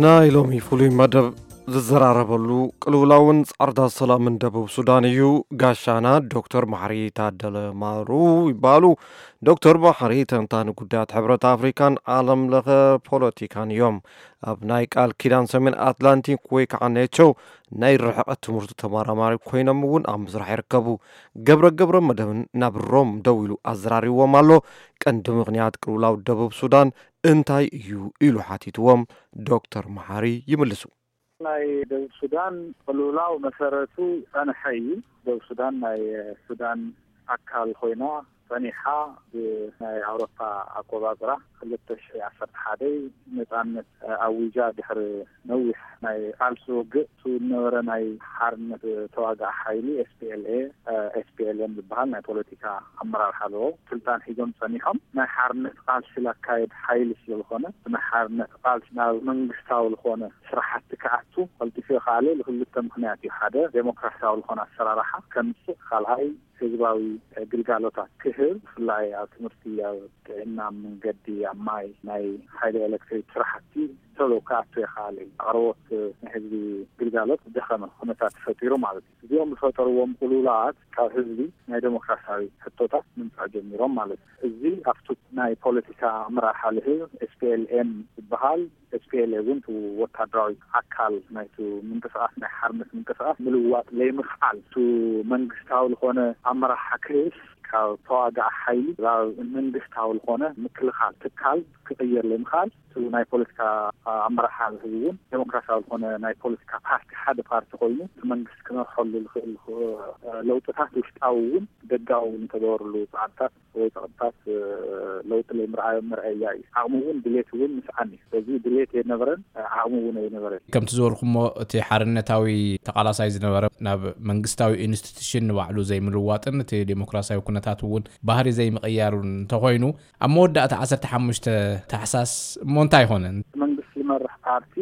ናይ ሎሚ ፍሉይ መደብ ዝዘራረበሉ ቅልውላውን ጻዕርታት ሰላምን ደቡብ ሱዳን እዩ። ጋሻና ዶክተር መሓሪ ታደለ ማሩ ይበሃሉ። ዶክተር መሓሪ ተንታኒ ጉዳያት ሕብረት ኣፍሪካን ዓለም ለኸ ፖለቲካን እዮም። ኣብ ናይ ቃል ኪዳን ሰሜን ኣትላንቲክ ወይ ከዓ ኔቶ ናይ ርሕቀት ትምህርቱ ተመራማሪ ኮይኖም እውን ኣብ ምስራሕ ይርከቡ። ገብረ ገብረ መደብን ናብ ሮም ደው ኢሉ ኣዘራሪዎም ኣሎ። ቀንዲ ምኽንያት ቅልውላው ደቡብ ሱዳን እንታይ እዩ ኢሉ ሓቲትዎም። ዶክተር መሓሪ ይምልሱ። ናይ ደቡብ ሱዳን ቅልውላው መሰረቱ ጸንሐ እዩ። ደቡብ ሱዳን ናይ ሱዳን ኣካል ኮይና ጸኒሓ፣ ብናይ ኣውሮፓ ኣቆጻጽራ ክልተ ሽሕ ዓሰርተ ሓደ ነጻነት ኣዊጃ፣ ድሕሪ ነዊሕ ናይ ቃልሲ ውግእ፣ እሱ ዝነበረ ናይ ሓርነት ተዋጋኢ ሓይሊ ኤስፒኤልኤ፣ ኤስፒኤልኤም ዝበሃል ናይ ፖለቲካ ኣመራርሓ ኣለዎ። ስልጣን ሒዞም ጸኒሖም፣ ናይ ሓርነት ቃልሲ ላካየድ ሓይሊ ስለ ዝኾነ፣ ናይ ሓርነት ቃልሲ ናብ መንግስታዊ ዝኾነ ስራሕቲ ክኣቱ ቀልጢፉ ይኸኣለ። ልክልተ ምኽንያት እዩ። ሓደ፣ ዴሞክራሲያዊ ዝኾነ ኣሰራርሓ ከምጽእ፣ ካልኣይ፣ ህዝባዊ ግልጋሎታት ክህብ፣ ብፍላይ ኣብ ትምህርቲ፣ ኣብ ጥዕና፣ መንገዲ፣ ኣብ ማይ፣ ናይ ሓይሊ ኤሌክትሪክ ስራሕቲ ቶሎ ክኣቱ ይኸኣል እዩ። ኣቕርቦት ናይ ህዝቢ ግልጋሎት ዝደኸመ ኩነታት ተፈጢሩ ማለት እዩ። እዚኦም ዝፈጠርዎም ቅልውላዋት ካብ ህዝቢ ናይ ዴሞክራሲያዊ ሕቶታት ምምጻእ ጀሚሮም ማለት እዩ። እዚ ኣብቱ ናይ ፖለቲካ ኣመራርሓ ልህብ ኤስፒኤልኤም ዝበሃል፣ ኤስፒኤልኤ እውን እቲ ወታደራዊ ኣካል ናይቲ ምንቅስቃስ፣ ናይ ሓርነት ምንቅስቃስ ምልዋጥ ለይምኽኣል፣ እቲ መንግስታዊ ዝኾነ ኣመራርሓ ክህስ፣ ካብ ተዋጋኢ ሓይሊ ናብ መንግስታዊ ዝኾነ ምክልኻል ትካል ክቕየር ለይምኽኣል፣ እቲ ናይ ፖለቲካ ኣመራርሓ ህዝቢ እውን ዴሞክራሲያዊ ዝኾነ ናይ ፖለቲካ ፓርቲ፣ ሓደ ፓርቲ ኮይኑ እቲ መንግስቲ ክመርሐሉ ዝኽእል ለውጥታት ውሽጣዊ እውን ደጋዊ እውን እንተገበርሉ ጻዕርታት ወይ ጸቕጥታት ለውጢ ለይምርኣዮም መርኣያ እዩ። ዓቕሚ እውን ድሌት እውን ምስዓን እዩ። ስለዚ ድሌት የነበረን ዓቕሚ እውን ኣይነበረን። ከምቲ ዝበልኩሞ፣ እቲ ሓርነታዊ ተቓላሳይ ዝነበረ ናብ መንግስታዊ ኢንስቲትዩሽን ንባዕሉ ዘይምልዋጥን እቲ ዴሞክራሲያዊ ኩነታት እውን ባህሪ ዘይምቕያሩን እንተኾይኑ፣ ኣብ መወዳእታ ዓሰርተ ሓሙሽተ ታሕሳስ እሞ እንታይ ይኾነ? መንግስቲ ዝመርሕ ፓርቲ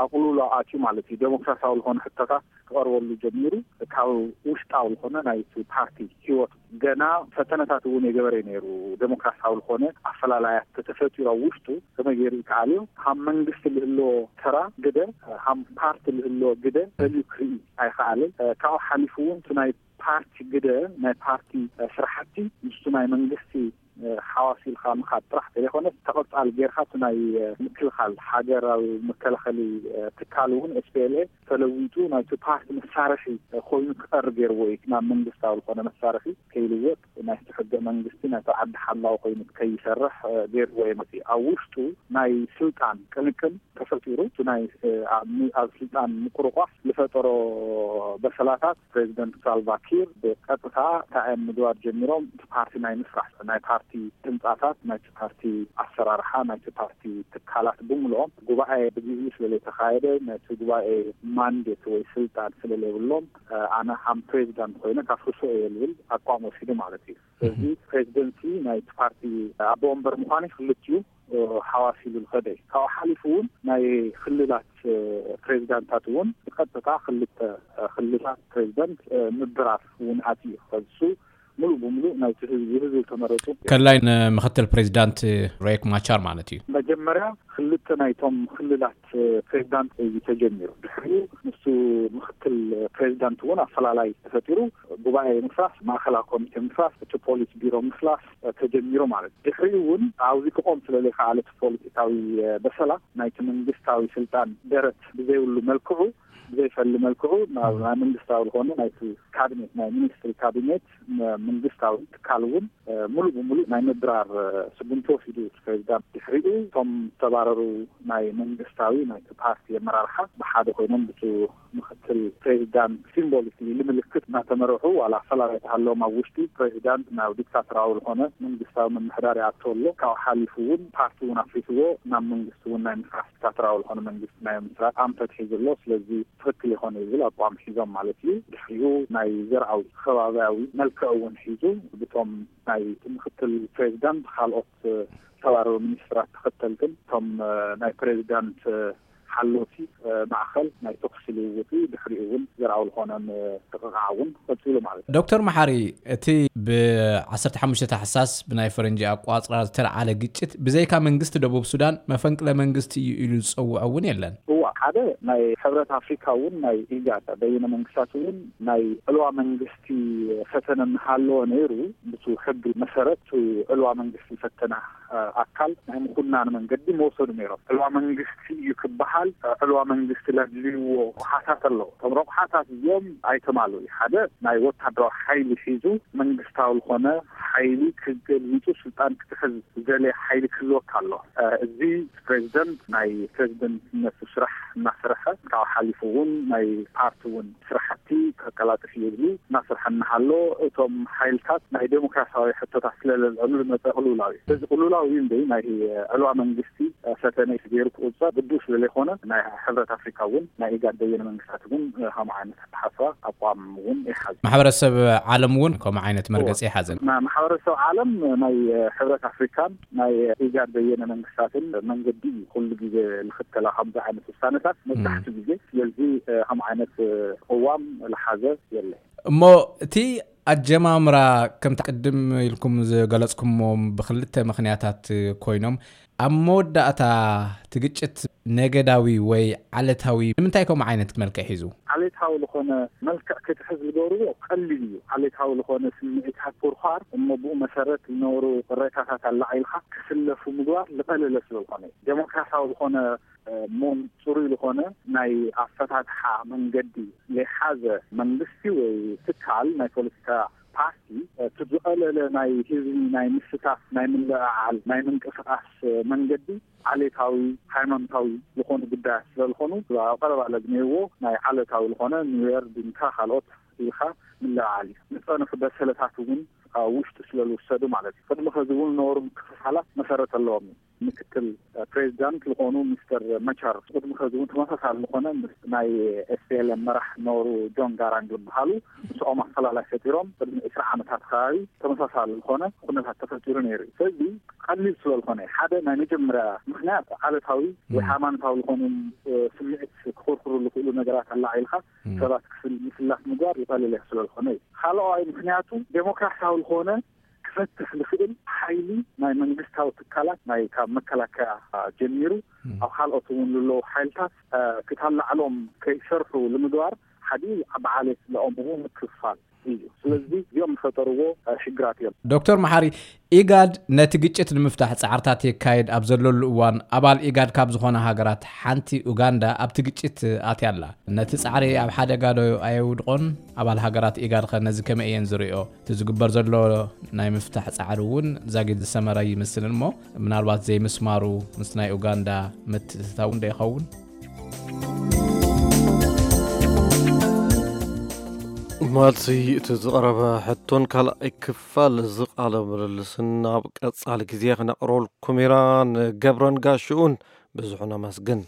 ኣቕልሎ ኣትዩ ማለት እዩ። ዴሞክራሲያዊ ዝኾነ ሕቶታት ክቐርበሉ ጀሚሩ። ካብ ውሽጣዊ ዝኾነ ናይቲ ፓርቲ ህይወት ገና ፈተነታት እውን የገበረ ነይሩ። ዴሞክራሲያዊ ዝኾነ ኣፈላላያት ተተፈጢሩ ኣብ ውሽጡ ከመይ ገይሩ ይከኣል እዩ? ካብ መንግስቲ ዝህልዎ ተራ ግደ፣ ካብ ፓርቲ ዝህልዎ ግደ ፈልዩ ክርኢ ኣይኸኣለን። ካብኡ ሓሊፉ እውን እቲ ናይ ፓርቲ ግደ፣ ናይ ፓርቲ ስራሕቲ ምስቲ ናይ መንግስቲ ሓዋሲልካ ምኻድ ጥራሕ ዘይኮነስ፣ ተቐጻሊ ጌርካ እቲ ናይ ምክልኻል፣ ሃገራዊ መከላኸሊ ትካል እውን ኤስፒኤልኤ ተለዊጡ ናይቲ ፓርቲ መሳርሒ ኮይኑ ክቐርብ ገይርዎ እዩ። ናብ መንግስታዊ ዝኾነ መሳርሒ ከይልወጥ፣ ናይቲ ሕገ መንግስቲ ናይቲ ዓዲ ሓላዊ ኮይኑ ከይሰርሕ ገይርዎ እዩ። እቲ ኣብ ውሽጡ ናይ ስልጣን ቅንቅን ተፈጢሩ፣ እቲ ናይ ኣብ ኣብ ስልጣን ምቁርቋስ ዝፈጠሮ በሰላታት፣ ፕሬዚደንት ሳልቫ ኪር ብቀጥታ እንታይ እዮም ምግባር ጀሚሮም? እቲ ፓርቲ ናይ ምስራሕ፣ ናይ ፓርቲ ህንጻታት፣ ናይቲ ፓርቲ ኣሰራርሓ፣ ናይቲ ፓርቲ ትካላት ብምልኦም ጉባኤ ብግዜኡ ስለ ዘይተኻየደ፣ ናይቲ ጉባኤ ማንዴት ወይ ስልጣን ስለ ዘይብሎም፣ ኣነ ከም ፕሬዚዳንት ኮይነ ከፍርሶ እየ ዝብል ኣቋም ወሲዱ ማለት እዩ። ስለዚ ፕሬዚደንሲ ናይቲ ፓርቲ ኣቦ ወንበር ምዃኑ ክልቲኡ ሓዋስ ኢሉ ዝኸደ እዩ። ካብኡ ሓሊፉ እውን ናይ ክልላት ፕሬዚዳንታት እውን ብቀጥታ ክልተ ክልላት ፕሬዚዳንት ምብራር እውን ኣትዩ። ከዚ እሱ ሙሉእ ብሙሉእ ናይቲ ህዝቢ፣ ህዝቢ ተመረፁ። ከላይ ንምክትል ፕሬዚዳንት ሬክ ማቻር ማለት እዩ። መጀመርያ ክልተ ናይቶም ክልላት ፕሬዚዳንት እዩ ተጀሚሩ። ድሕሪኡ ምስቲ ምክትል ፕሬዚዳንት እውን ኣፈላላይ ተፈጢሩ። ጉባኤ ምፍራስ፣ ማእኸላዊ ኮሚቴ ምፍራስ፣ እቲ ፖሊስ ቢሮ ምፍላስ ተጀሚሩ ማለት እዩ። ድሕሪኡ እውን ኣብዚ ክቆም ስለ ዘይከኣለ እቲ ፖለቲካዊ በሰላ ናይቲ መንግስታዊ ስልጣን ደረት ብዘይብሉ መልክዑ፣ ብዘይፈሊ መልክዑ ናብ ናይ መንግስታዊ ዝኾነ ናይቲ ካቢኔት፣ ናይ ሚኒስትሪ ካቢኔት፣ ም-፣ መንግስታዊ ትካል እውን፣ እ፣ ሙሉእ ብሙሉእ ናይ ምብራር፣ እ፣ ስጉምቲ ወሲዱ እቲ ፕሬዚዳንት። ድሕሪኡ እቶም ዝተባረሩ ናይ መንግስታዊ ናይቲ ፓርቲ ኣመራርሓ ብሓደ ኮይኖም ብቲ ምክትል ፕሬዚዳንት ሲምቦሊክ ምልክት እናተመርሑ፣ ዋላ ኣፈላላይ ተሃለዎም፣ ኣብ ውሽጢ ፕሬዚዳንት ናብ ዲክታቶራዊ ዝኾነ መንግስታዊ ምምሕዳር ይኣቱ ኣሎ። ካብኡ ሓሊፉ እውን ፓርቲ እውን ኣፍሪስዎ፣ ናብ መንግስቲ እውን ናይ ምፍራሕ ዲክታቶራዊ ዝኾነ መንግስቲ ናይ ምምስራት ኣንፈት ሒዙ ኣሎ። ስለዚ ትኽክል ይኾነ ዝብል ኣቋም ሒዞም ማለት እዩ። ድሕሪኡ ናይ ዘርኣዊ ከባቢያዊ መልክዕ እውን ሒዙ ብቶም ናይ ምክትል ፕሬዚዳንት፣ ካልኦት ዝተባረሩ ሚኒስትራት ተኸተልትን እቶም ናይ ፕሬዚዳንት ሓለውቲ ማእኸል ናይ ተኩሲ ልውውጥ እዩ። ድሕሪኡ እውን ዘርኣዊ ዝኾነ ምጥቕቓዕ እውን ቀፂሉ ማለት እዩ። ዶክተር መሓሪ፣ እቲ ብ15 ታሕሳስ ብናይ ፈረንጂ ኣቋፅራ ዝተለዓለ ግጭት ብዘይካ መንግስቲ ደቡብ ሱዳን መፈንቅለ መንግስቲ እዩ ኢሉ ዝፀውዖ እውን የለን። እዋ፣ ሓደ ናይ ሕብረት ኣፍሪካ እውን ናይ ኢጋድ በይነ መንግስታት እውን ናይ ዕልዋ መንግስቲ ፈተነ እናሃለወ ነይሩ። ብቱ ሕጊ መሰረት ዕልዋ መንግስቲ ፈተነ ኣካል ናይ ምኹናን መንገዲ መወሰዱ ነይሮም። ዕልዋ መንግስቲ እዩ ክበሃል ዕልዋ መንግስቲ ለድልይዎ ረቑሓታት ኣለዎ። እቶም ረቑሓታት እዚኦም ኣይተማሉ እዩ። ሓደ ናይ ወታደራዊ ሓይሊ ሒዙ መንግስታዊ ዝኾነ ሓይሊ ክገልቢጡ ስልጣን ክትሕዝ ዘለ ሓይሊ ክህልወካ ኣሎ። እዚ ፕሬዚደንት ናይ ፕሬዚደንትነቱ ስራሕ እናሰርሐ ካብ ሓሊፉ እውን ናይ ፓርቲ እውን ስራሕቲ ከቀላጥፍ እየ ዝብል እናሰርሐ እናሃሎ እቶም ሓይልታት ናይ ዴሞክራሲያዊ ሕቶታት ስለለልዕሉ ዝመፀ ቅልውላው እዩ። እዚ ቅልውላው እዩ እንደ ናይ ዕልዋ መንግስቲ ፈተነ ገይሩ ክቁፀር ግቡእ ስለለይኮነ ናይ ሕብረት ኣፍሪካ እውን ናይ ኢጋድ በየነ መንግስታት እውን ከምኡ ዓይነት ኣተሓስባ ኣቋም እውን ይሓዝ። ማሕበረሰብ ዓለም እውን ከምኡ ዓይነት መርገፂ ይሓዘን። ማሕበረሰብ ዓለም ናይ ሕብረት ኣፍሪካን ናይ ኢጋድ በየነ መንግስታትን መንገዲ እዩ ኩሉ ግዜ ዝኽተላ ከምዚ ዓይነት ውሳነታት መብዛሕትኡ ግዜ። ስለዚ ከም ዓይነት ቅዋም ዝሓዘ የለ። እሞ እቲ ኣጀማምራ ከምቲ ቅድም ኢልኩም ዝገለጽኩሞ ብክልተ ምኽንያታት ኮይኖም ኣብ መወዳእታ እቲ ግጭት ነገዳዊ ወይ ዓለታዊ ንምንታይ ከምኡ ዓይነት መልክዕ ሒዙ? ዓሌታዊ ዝኾነ መልክዕ ክትሕዝ ዝገብርዎ ቀሊል እዩ። ዓሌታዊ ዝኾነ ስምዒታት ኩርኳር እሞ ብኡ መሰረት ዝነበሩ ቅሬታታት ኣላዒልካ ክስለፉ ምግባር ዝቐለለ ስለዝኾነ እዩ። ዴሞክራሲያዊ ዝኾነ እሞ ፅሩይ ዝኾነ ናይ ኣፈታትሓ መንገዲ ዘይሓዘ መንግስቲ ወይ ትካል ናይ ፖለቲካ ፓርቲ እቲ ዝቐለለ ናይ ህዝቢ ናይ ምስታፍ ናይ ምልዕዓል ናይ ምንቅስቃስ መንገዲ ዓሌታዊ ሃይማኖታዊ ዝኾኑ ጉዳያት ስለዝኾኑ ኣብ ቀረባ ለግኔዎ ናይ ዓለታዊ ዝኾነ ኒውዮር ድንካ ካልኦት ኢልካ ምልዕዓል እዩ። ዝፀንሑ በሰለታት እውን ውሽጡ ስለዝውሰዱ ማለት እዩ። ቅድሚ ከዚ እውን ነበሩ ምክፍፋላት መሰረት ኣለዎም እዩ። ምክትል ፕሬዚዳንት ዝኾኑ ሚስተር መቻር ቅድሚ ከዚ እውን ተመሳሳሊ ዝኾነ ምስ ናይ ኤስፒኤልኤም መራሕ ነበሩ ጆን ጋራንግ ዝበሃሉ ምስኦም ኣፈላላይ ፈጢሮም ቅድሚ ዕስራ ዓመታት ከባቢ ተመሳሳሊ ዝኾነ ኩነታት ተፈጢሩ ነይሩ እዩ። ስለዚ ቀሊል ስለዝኾነ ሓደ ናይ መጀመርያ ምክንያት ዓለታዊ ወይ ሃይማኖታዊ ዝኾኑ ስምዒት ክኾርኩሩ ዝኽእሉ ነገራት ኣላዒልካ ሰባት ክፍል ምስላፍ ምግባር ዝቐለለ ስለዝኾነ እዩ። ካልኣዋይ ምክንያቱ ዴሞክራሲያዊ ዝኾነ ክፈትሕ ዝኽእል ሓይሊ ናይ መንግስታዊ ትካላት ናይ ካብ መከላከያ ጀሚሩ ኣብ ካልኦት እውን ዘለዉ ሓይልታት ክታላዕሎም ከይሰርሑ ንምግባር ሓዲ ዓቢ ዓሌት ለኦም እውን ምክፍፋል እዩ። ስለዚ እዚኦም ዝፈጠርዎ ሽግራት እዮም። ዶክተር መሓሪ፣ ኢጋድ ነቲ ግጭት ንምፍታሕ ጻዕርታት የካይድ ኣብ ዘለሉ እዋን ኣባል ኢጋድ ካብ ዝኾና ሃገራት ሓንቲ ኡጋንዳ ኣብቲ ግጭት ኣትያ ኣላ። ነቲ ጻዕሪ ኣብ ሓደጋ ዶ ኣየውድቖን? ኣባል ሃገራት ኢጋድ ኸ ነዚ ከመይ እየን ዝሪኦ? እቲ ዝግበር ዘሎ ናይ ምፍታሕ ጻዕሪ እውን ዛጊድ ዝሰመረ ይመስልን እሞ ምናልባት ዘይምስማሩ ምስ ናይ ኡጋንዳ ምትእትታው እንዶ ይኸውን? ማልሲ እቲ ዝቐረበ ሕቶን ካልኣይ ክፋል እዚ ቃለ ምልልስን ኣብ ቀጻሊ ግዜ ክነቕርበልኩም ኢና። ንገብረን ጋሽኡን ብዙሕ ነመስግን።